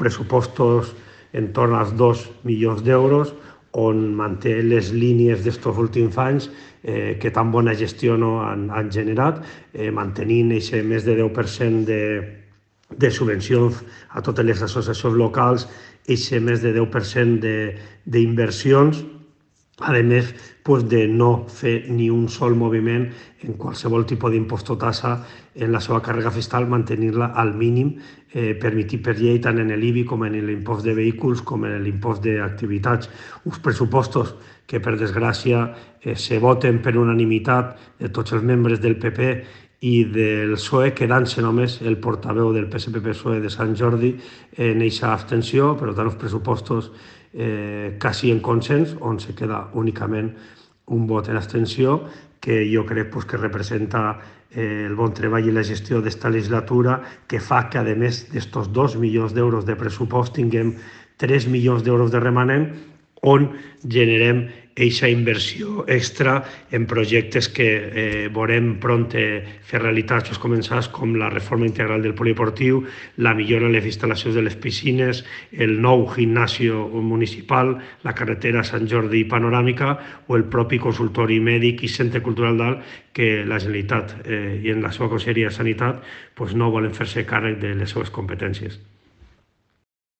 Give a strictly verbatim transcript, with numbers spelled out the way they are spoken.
pressupostos en torn als dos milions d'euros, on manté les línies d'estos últims anys eh, que tan bona gestió no han, han generat, eh, mantenint aquest més de deu per cent de, de subvencions a totes les associacions locals, aquest més de deu per cent d'inversions, a més pues, de no fer ni un sol moviment en qualsevol tipus d'impost o tassa en la seva càrrega fiscal, mantenir-la al mínim eh, permitit per llei tant en l'I B I com en l'impost de vehicles com en l'impost d'activitats. Uns pressupostos que, per desgràcia, eh, se voten per unanimitat de tots els membres del P P i del P S O E, quedant-se només el portaveu del P S P P S O E de Sant Jordi en aquesta abstenció, per tant, els pressupostos eh, quasi en consens, on se queda únicament un vot en abstenció, que jo crec pues, que representa eh, el bon treball i la gestió d'esta legislatura, que fa que, a més d'estos dos milions d'euros de pressupost, tinguem tres milions d'euros de remanent, on generem aquesta inversió extra en projectes que eh, veurem pront fer realitat, els començats, com la reforma integral del polideportiu, la millora en les instal·lacions de les piscines, el nou gimnasio municipal, la carretera Sant Jordi panoràmica o el propi consultori mèdic i centre cultural d'Alt, que la Generalitat eh, i en la seva Conselleria de Sanitat pues, no volen fer-se càrrec de les seves competències.